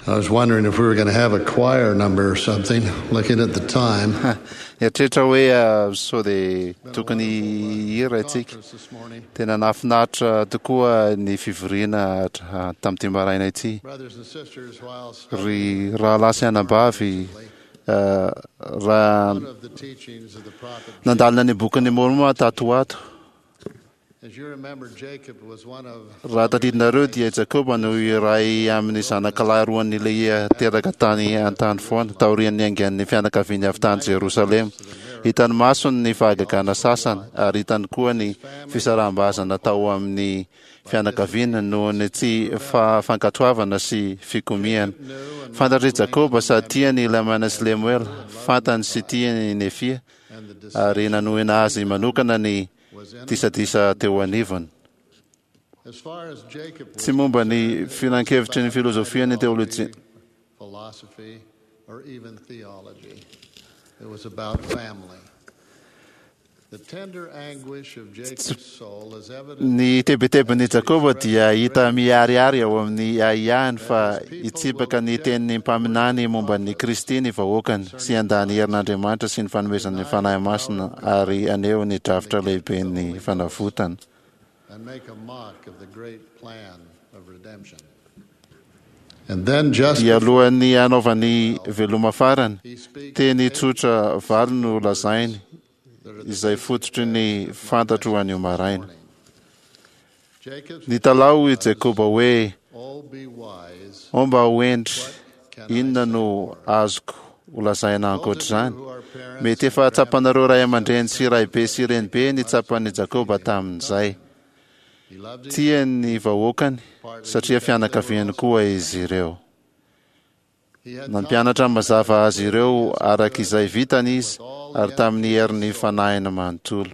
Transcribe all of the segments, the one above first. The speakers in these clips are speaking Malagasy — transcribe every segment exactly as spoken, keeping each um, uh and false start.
I was wondering if we were going to have a choir number or something, looking at the time. Nieritreritra hoe sao dia tokony hihira isika. Tena nahafinaritra tokoa ny fivoriana tamin'ity maraina ity. Ry rahalahy sy anabavy, raha nandalina ny bokin'i Môrmôna tato ho ato, Raha tadidinareo dia i Jakoba no iray amin'ny zanakalahy roan'i Lehia teraka tany an-tany foana, taorian'ny niaingan'ny fianakaviany avy tany Jerosalema. Hitan'ny masony ny fahagagana sasany, ary hitany koa ny fisaraham-bazana tao amin'ny fianakaviany noho ny tsy fahafankatoavana sy fikomiana. Fantatr'i Jakoba sady tiany i Lamana sy Lemoela, fantany sy tiany i Nefia, ary nanohina azy manokana ny disadisa teo anivony. Tsy momba ny filankevitry ny filozofia ny teolojia. Ny tebitebin'i Jakoba dia hita miharihary ao amin'ny ahiahiny fa hitsipaka ny tenin'ny mpaminany momba an'i Kristy ny vahoakany sy handà ny herin'Andriamanitra sy ny fanomezan'ny Fanahy Masina ary haneho ny drafitra lehiben'ny fanavotana. Mialohan'ny hanaovany veloma farany, teny tsotra valo no lazainy izay fototry ny fantatro anio maraina. Nitalaho i Jakoba hoe, Ô mba ho hendry, inona no azoko holazaina ankoatr'izany? Mety efa tsapanareo ray aman-dreny sy raibe sy renibe ny tsapan'i Jakoba tamin'izay. Tiany ny vahoakany satria fianakaviany koa izy ireo. Nampianatra mazava azy ireo araka izay vitany izy ary tamin'ny herin'ny fanahiny manontolo.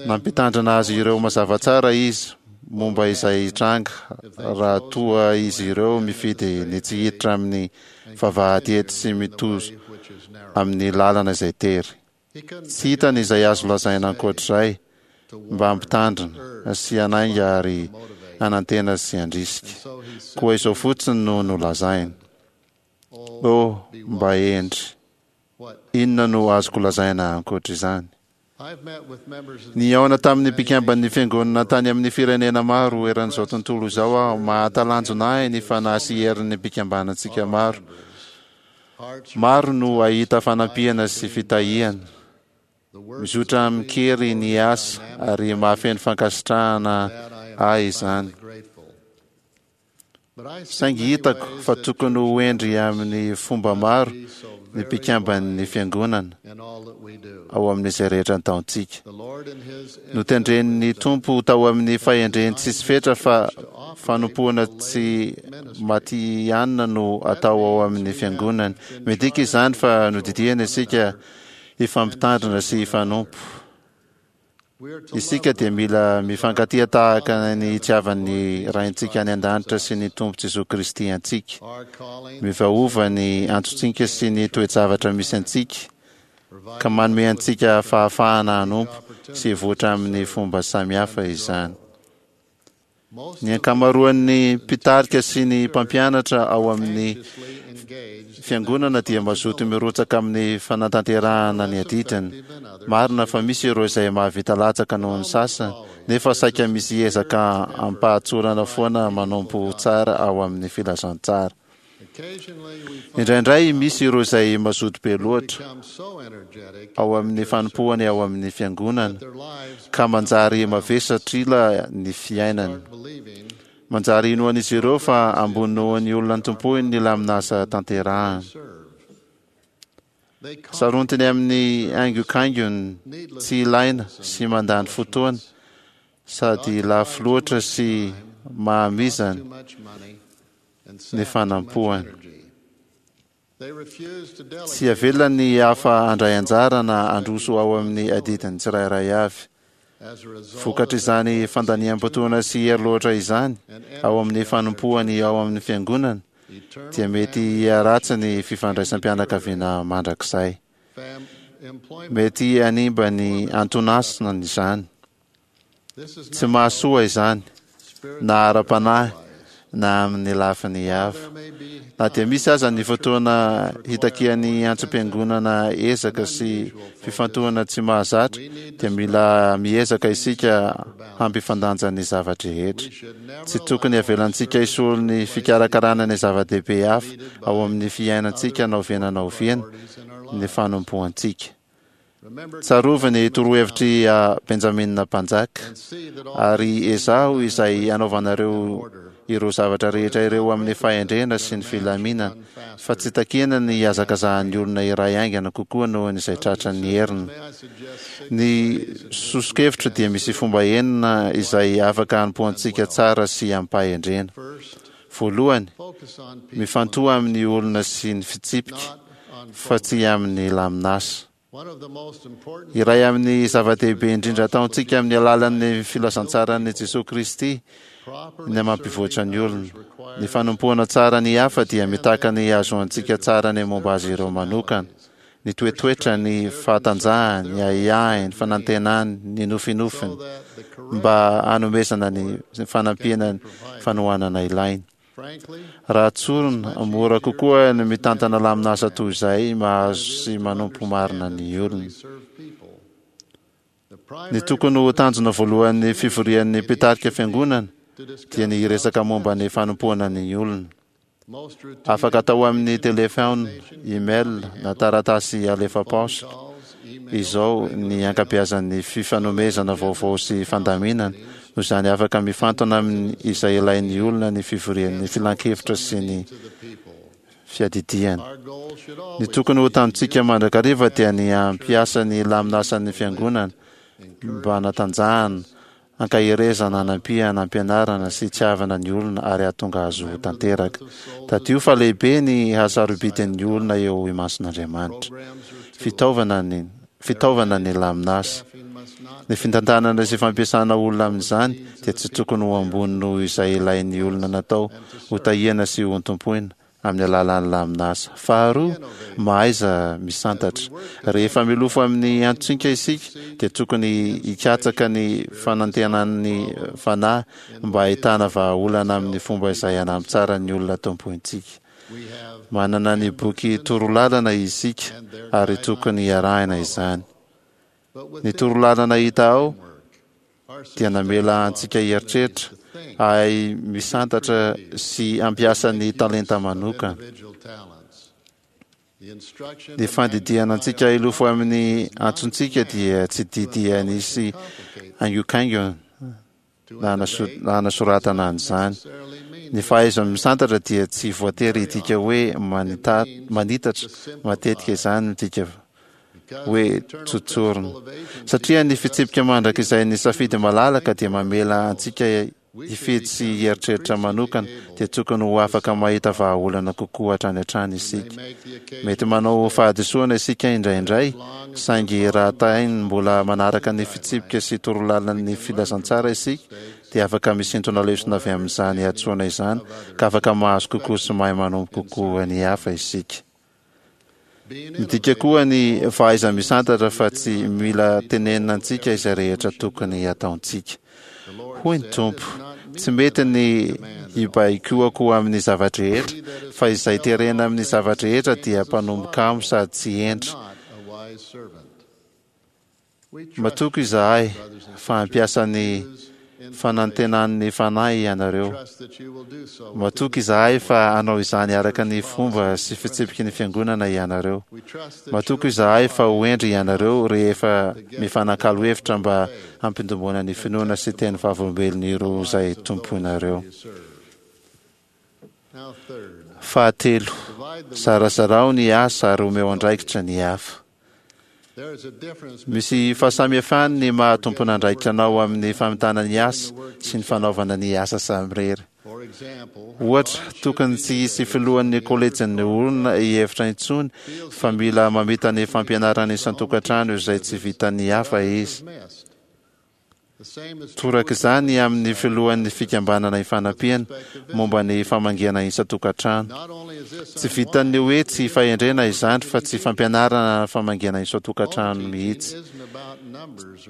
Nampitandrina azy ireo mazava tsara izy momba izay hitranga raha toa izy ireo mifidy ny tsy hiditra amin'ny vavahady ety sy mitozo amin'ny lalana izay tery. Tsy hitany izay azo lazaina ankoatr'izay mba hampitandrina sy hanainga ary hanantena sy handrisika. Koa izao fotsiny no nolazainy, Oh, mba hendry! Inona no azoko lazaina ankoatr'izany? Nihaona tamin'ny mpikamban'ny Fiangonana tany amin'ny firenena maro eran'izao tontolo izao aho. Mahatalanjona ahy ny fanahy sy herin'ny mpikambanantsika maro. Maro no hahita fanampiana sy fitahiana. Mizotra amin-kery ny asa ary mahafeno fankasitrahana ahy izany. Saingy hitako fa tokony ho hendry amin'ny fomba maro ny mpikamban'ny Fiangonana ao amin'izay rehetra ataontsika. Notendren'ny Tompo tao amin'ny fahendreny tsisy fetra fa fanompoana tsy matihanina no atao ao amin'ny Fiangonany. Midika izany fa nodidiana isika hifampitandrina sy hifanompo. Isika dia mila mifankatia tahaka ny itiavan'ny Raintsika any An-danitra sy ny Tompo Jesoa Kristy antsika. Miovaova ny antsontsika sy ny toe-javatra misy antsika, ka manome antsika fahafahana hanompo sy hivoatra amin'ny fomba samihafa izany. Ny ankamaroan'ny mpitarika sy ny mpampianatra ao amin'ny Fiangonana dia mazoto mirotsaka amin'ny fanatanterahana ny adidiny. Marina fa misy ireo izay mahavita latsaka noho ny sasany, nefa saika misy ezaka amim-pahatsorana foana manompo tsara ao amin'ny filazantsara. Indraindray misy ireo izay mazoto be loatra ao amin'ny fanompoany ao amin'ny fiangonana ka manjary mavesatr'ila ny fiainany. Manjary inoan'izy ireo fa ambony noho ny olona tompoiny ny lamin'asa tanterahany. Sarontiny amin'ny haingokaingony tsy ilaina sy mandany fotoana sady lafo loatra sy mahamizana ny fanampoany. Tsy avela ny hafa handray anjara na handroso ao amin'ny adidiny tsirairay avy. Vokatr'izany fandaniam-potoana sy hery loatra izany ao amin'ny fanompoany ao amin'ny fiangonana, dia mety hiharatsy ny fifandraisam-pianakaviana mandrakizay. Mety hanimba ny anton'asany izany. Tsy mahasoa izany, na ara-panahy, na amin'ny lafiny hafa. Na dia misy aza ny fotoana hitakian'ny antsom-piangonana ezaka sy fifantohana tsy mahazatra, dia mila miezaka isika hampifandanja ny zava-drehetra. Tsy tokony avelantsika hisolo ny fikarakarana ny zava-dehibe hafa ao amin'ny fiainantsika na oviana na oviana ny fanompoantsika. Tsarovy ny torohevitr'i Benjamina mpanjaka, ary ezaho izay hanaovanareo ireo zavatra rehetra ireo amin'ny fahendrena sy ny filaminana, fa tsy takiana ny hihazakazahan'ny olona iray haingana kokoa noho izay tratran'ny heriny. Ny soso-kevitro dia misy fomba enina izay afaka hanompoantsika tsara sy amim-pahendrena. Voalohany, mifantoha amin'ny olona sy ny fitsipika, fa tsy amin'ny lamin'asa. Iray amin'ny zava-dehibe indrindra ataontsika amin'ny alalan'ny filazantsaran'i Jesoa Kristy ny mampivoatra ny olona. Ny fanompoana tsara ny hafa dia mitaka ny hahazoantsika tsara ny momba azy ireo manokana, ny toetoetrany, ny fahatanjahany, ny ahiahiny, ny fanantenany, ny nofinofiny, mba hanomezana ny fanampiana ny fanohanana ilainy. Raha tsorina, mora kokoa ny mitantana lamin'asa toy izay mahazo sy manompo marina ny olona. Ny tokony ho tanjona voalohan'ny fivorian'ny mpitarika fiangonana dia ny hiresaka momba ny fanompoana ny olona. Afaka atao amin'ny telefaonina, email na taratasy alefa paositra izao ny ankabeazan'ny fifanomezana vaovao sy fandaminana. Noho izany, afaka mifantona amin'ny izay ilain'ny olona ny fivorian'ny filankevitra sy ny fiadidiana. Ny tokony ho tanjontsika mandrakariva dia ny hampiasa ny lamin'asan'ny fiangonana mba hanatanjahana, hankaherezana, hanampiana, hampianarana sy hitiavana ny olona ary hahatonga azy ho tanteraka. Tadidio fa lehibe ny hasarobidin'ny olona eo imason'Andriamanitra. Fitaovana ny fitaovana ny lamin'asa. Ny fitantanana sy fampiasana olona amin'izany dia tsy tokony ho ambony noho izay ilain'ny olona natao hotahiana sy hotompoina amin'ny alalan'ny lamin'asa. Faharoa, mahaiza misantatra. Rehefa milofo amin'ny antsontsika isika dia tokony hikatsaka ny fanantenan'ny fanahy mba hahitana vahaolana amin'ny fomba izay hanampy tsara ny olona tompointsika. Manana ny boky torolalana isika ary tokony hiarahina izany. Ny torolalana hita ao dia namela antsika hieritreritra, hahay misantatra sy hampiasa ny talenta manokana. Ny fandidiana antsika hilofo amin'ny antsontsika dia tsy didy hanisy haingokaingony na hanasoratana an'izany. Ny fahaiza-misantatra dia tsy voatery hidika hoe manita- manitatra, matetika izany midika hoe tsotsorina. Satria ny fitsipika mandrakizay ny safidy malalaka dia mamela antsika hifidy sy hieritreritra manokana, dia tokony ho afaka mahita vahaolana kokoa hatrany hatrany isika. Mety manao fahadisoana isika indraindray, saingy raha tainy mbola manaraka ny fitsipika sy torolalan'ny filazantsara isika, dia afaka misintona lesona avy amin'izany hadisoana izany ka afaka mahazo kokoa sy mahay manompo kokoa ny hafa isika. Midika koa ny fahaiza-misantatra fa tsy mila tenenina antsika izay rehetra tokony hataontsika. Hoy ny Tompo, tsy mety ny hibaikoako amin'ny zava-drehetra, fa izay terena amin'ny zava-drehetra dia mpanompo kamo sady tsy hendry. Matoky izahay fa hampiasa ny fanantenan'ny fanahy ianareo. Matoky izahay fa hanao izany araka ny fomba sy fitsipiky ny fiangonana ianareo. Matoky izahay fa ho hendry ianareo rehefa mifanakalo hevitra mba hampitomboana ny finoana sy teny vavolombelon'ireo izay tompoinareo. Fahatelo, zarazarao ny asa ary omeo andraikitra ny hafa. Misy fahasamihafany ny maha tompon'andraikitra anao amin'ny famitana ny asa sy ny fanaovana ny asa samirery. Ohatra, tokony tsy hisy filohan'ny kolejin'ny olona hihevitra intsony fa mila mamita ny fampianarana isan-tokantrano izay tsy vitan'ny hafa izy. Toraka izany amin'ny filohan'ny fikambanana ifanampiana momba ny famangiana isan-tokantrano. Tsy vitan'ny hoe tsy fahendrena izany fa tsy fampianarana famangiana isan-tokantrano mihitsy.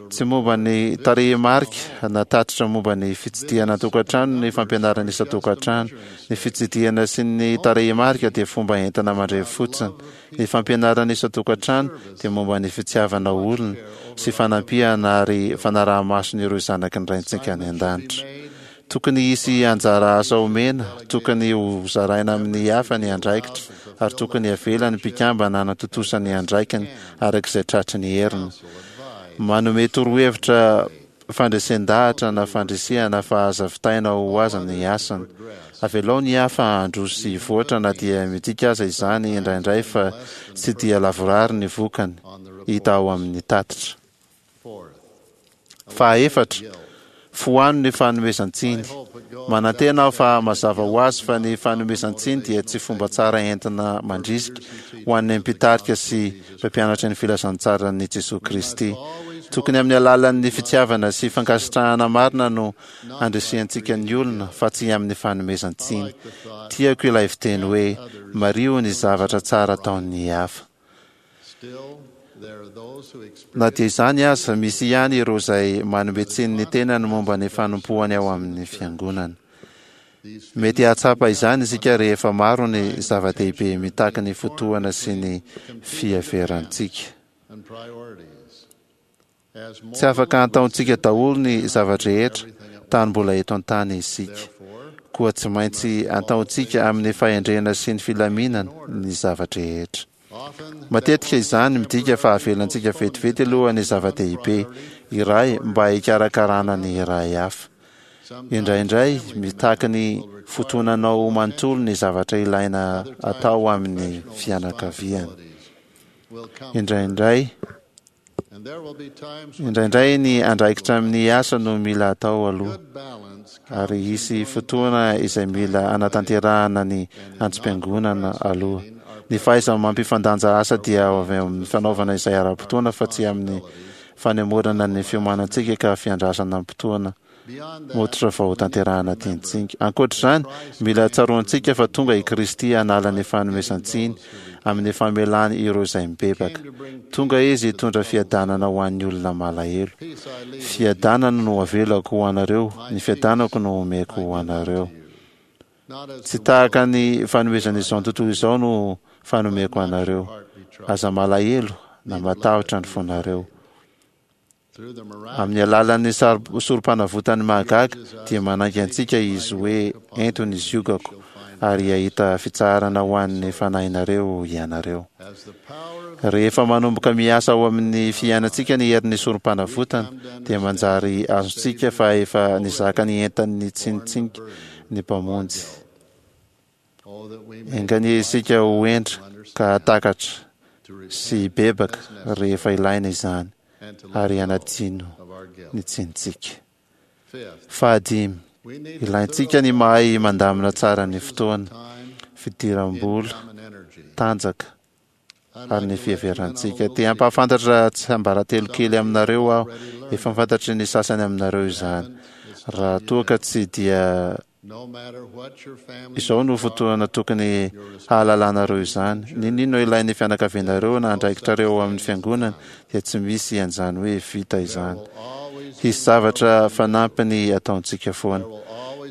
Tsy momba ny tarehimarika na tatitra momba ny fitsidihana an-tokantrano ny fampianarana isan-tokantrano. Ny fitsidihana sy ny tarehimarika dia fomba entina mandrevy fotsiny. Ny fampianarana isan-tokantrano dia momba ny fitiavana olona sy fanampiana ary fanaraha-mason'ireo zanaky ny Raintsika any an-danitra. Tokony hisy anjara asa omena, tokony ho zaraina amin'ny hafa ny andraikitra, ary tokony avela ny mpikambana hanatontosa ny andraikiny araka izay tratry ny heriny. Manome torohevitra fandresen-dahatra na fandrisihana fa aza vitaina ho azy ny asany. Avelao ny hafa handroso sy hivoatra na dia midika aza izany indraindray fa tsy dia lavorary ny vokany hita ao amin'ny tatitra. Fahaefatra, foano ny fanomezan-tsiny. Manantena aho fa mazava ho azy fa ny fanomezan-tsiny dia tsy fomba tsara entina mandrisika ho an'ny mpitarika sy mpampianatra ny filazantsaran'i Jesoa Kristy. Tokony amin'ny alalan'ny fitiavana sy fankasitrahana marina no andrisihantsika ny olona fa tsy amin'ny fanomezan-tsiny. Tiako ilay fiteny hoe mariho ny zavatra tsara ataon'ny hafa. Na dia izany aza, misy ihany ireo izay manome tsiny ny tenany momba ny fanompoany ao amin'ny fiangonana. Mety hahatsapa izany isika rehefa maro ny zava-dehibe mitaky ny fotoana sy ny fiheverantsika. Tsy afaka ataontsika daholo ny zava-drehetra tany mbola eto an-tany isika. Koa tsy maintsy ataontsika amin'ny fahendrena sy ny filaminana ny zava-drehetra. Matetika izany midika fa avelantsika vetivety aloha ny zava-dehibe iray mba hikarakarana ny iray hafa. Indraindray mitaky ny fotoananao manontolo ny zavatra ilaina atao amin'ny fianakaviana. Indraindray Indraindray ny andraikitra amin'ny asa no mila atao aloha, ary hisy fotoana izay mila anatanterahana ny antsom-piangonana aloha. Ny fahaizana mampifandanja asa dia avy amin'ny fanaovana izay ara-potoana fa tsy amin'ny fanemorana ny fiomanantsika ka fiandrasana am-potoana mototra vao tanterahana tiantsika. Ankoatr'izany, mila tsaroantsika fa tonga i Kristy hanala ny fanomezan-tsiny amin'ny famelany ireo izay mibebaka. Tonga Izy hitondra fiadanana ho an'ny olona malahelo. Fiadanana no avelako ho anareo, ny fiadanako no omeko ho anareo. Tsy tahaka ny fanomezan'izao tontolo izao no fanomeko anareo. Aza malahelo na matahotra ny fonareo. Amin'ny alalan'ny sorom-panavotany mahagaga dia manainga antsika Izy hoe ento ny ziogako ary hahita fitsaharana ho an'ny fanahinareo ianareo. Rehefa manomboka miasa ao amin'ny fiainantsika ny herin'ny sorom-panavotana dia manjary azontsika fa efa nizaka ny entan'ny tsinitsinka ny Mpamonjy. Enga anie isika ho hendry ka hahatakatra sy hibebaka rehefa ilaina izany ary hanadino ny tsinintsika. Fahadimy, ilaintsika ny mahay mandamina tsara ny fotoana, fidiram-bola, tanjaka ary ny fiheverantsika. Te hampahafantatra tsiambaratelo kely aminareo aho, efa fantatry ny sasany aminareo izany. Raha toa ka tsy dia izao no fotoana tokony hahalalanareo izany. N'inon'inona ilain'ny fianakavianareo na andraikitrareo ao amin'ny fiangonana dia tsy misy an'izany hoe vita izany. Hisy zavatra fanampiny ataontsika foana.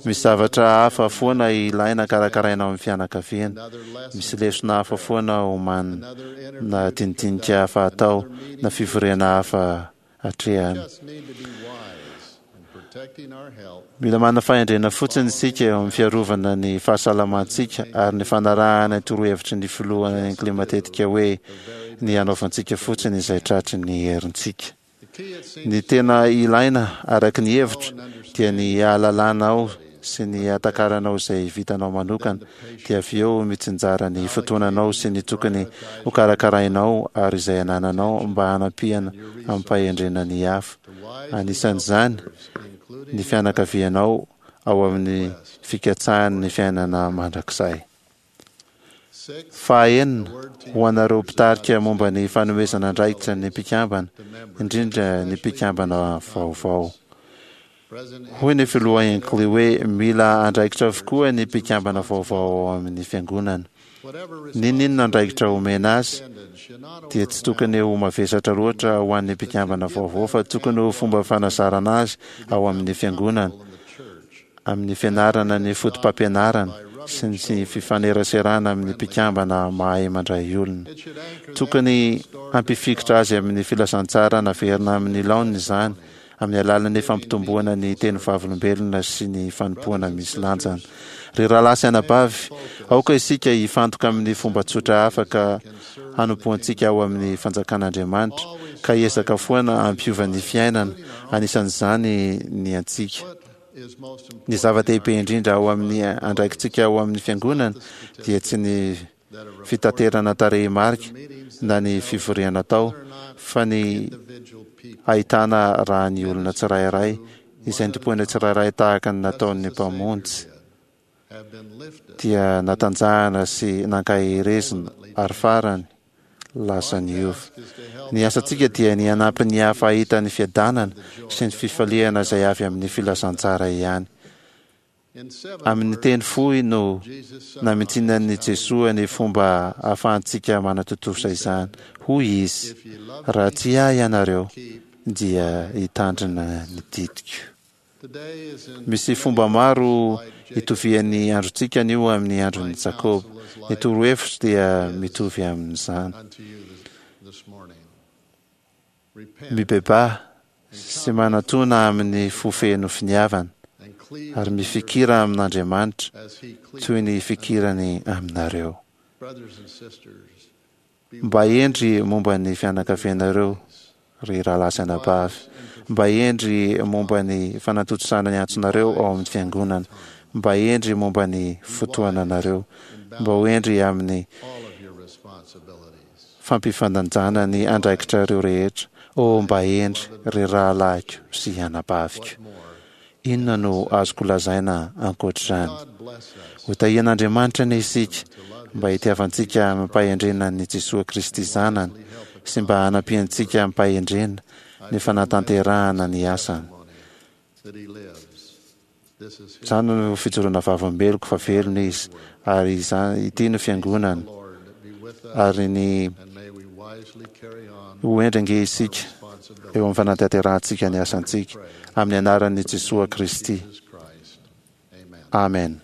Misy zavatra hafa foana ilaina karakaraina ao amin'ny fianakaviana. Misy lesona hafa foana omanina, na dinidinika hafa atao, na fivoriana hafa atrehana. Mila manana fahendrena fotsiny isika eo amin'ny fiarovana ny fahasalamantsika ary ny fanarahana ny torohevitry ny filoha Hinckley matetika hoe ny hanaovantsika fotsiny izay tratry ny herintsika. Ny tena ilaina araka ny hevitro dia ny hahalalanao sy ny hatakaranao izay vitanao manokana dia avy eo mitsinjara ny fotoananao sy ny tokony hokarakarainao ary izay anananao mba hanampiana amim-pahendrena ny hafa, anisan'izany ny fianakavianao ao amin'ny fikatsahany ny fiainana mandrakizay. Fahaenina, ho anareo mpitarika momba ny fanomezana andraikitra ny mpikambana, indrindra ny mpikambana vaovao. Hoy ny filoha Hinckley hoe mila andraikitra avokoa ny mpikambana vaovao ao amin'ny fiangonana. N'inon'inona andraikitra omena azy dia tsy tokony ho mavesatra loatra ho an'ny mpikambana vaovao, fa tokony ho fomba fanazarana azy ao amin'ny fiangonana, amin'ny fianarana ny fotopampianarana sy ny fifaneraserana amin'ny mpikambana mahay mandray olona. Tokony hampifikitra azy amin'ny filazantsara naverina amin'ny laoniny izany, amin'ny alalan'ny fampitomboana ny teny vavolombelona sy ny fanompoana misy lanjany. Ry rahalahy sy anabavy, aoka isika hifantoka amin'ny fomba tsotra afaka hanompoantsika ao amin'ny fanjakan'Andriamanitra, ka hiezaka foana hampiova ny fiainana, anisan'izany ny antsika. Ny zava-dehibe indrindra ao amin'ny andraikitsika ao amin'ny fiangonana dia tsy ny fitaterana tarehimarika na ny fivoriana atao, fa ny ahitana raha ny olona tsirairay izay notompoina tsirairay tahaka ny nataon'ny Mpamonjy dia natanjahana sy nankaherezina ary farany lasa niova. Ny asantsika dia ny hanampy ny hafa hahita ny fiadanana sy ny fifaliana izay avy amin'ny filazantsara ihany. Amin'ny teny fohy no namintinan'i Jesoa ny fomba ahafahantsika manatontosa izany. Hoy Izy, Raha tia Ahy ianareo, dia hitandrina ny didiko. Misy fomba maro itovian'ny androntsika anio amin'ny andron'i Jakoba. Ny torohevitro dia mitovy amin'izany. Mibebaha sy manatona amin'ny fo feno finiavana, ary mifikira amin'Andriamanitra toy ny ifikirany aminareo. Mba hendry momba ny fianakavianareo, ry rahalahy sy anabavy. Mba hendry momba ny fanatontosana ny antsonareo ao amin'ny fiangonana. Mba hendry momba ny fotoananareo. Mba ho hendry amin'ny fampifandanjana ny andraikitrareo rehetra. Oh, mba hendry, ry rahalahiko sy anabaviko. Inona no azoko lazaina ankoatr'izany? Ho tahian'Andriamanitra anie isika mba hitiavantsika amim-pahendrena an'i Jesoa Kristy Zanany sy mba hanampiantsika amim-pahendrena ny fanatanterahana ny asany. Izany no fijoroana vavolombeloko fa velona Izy, ary izany, ity no Fiangonany, ary ny Ho hendry ange isika eo amin'ny fanatanterahantsika ny asantsika, amin'ny anaran'i Jesoa Kristy. Amen.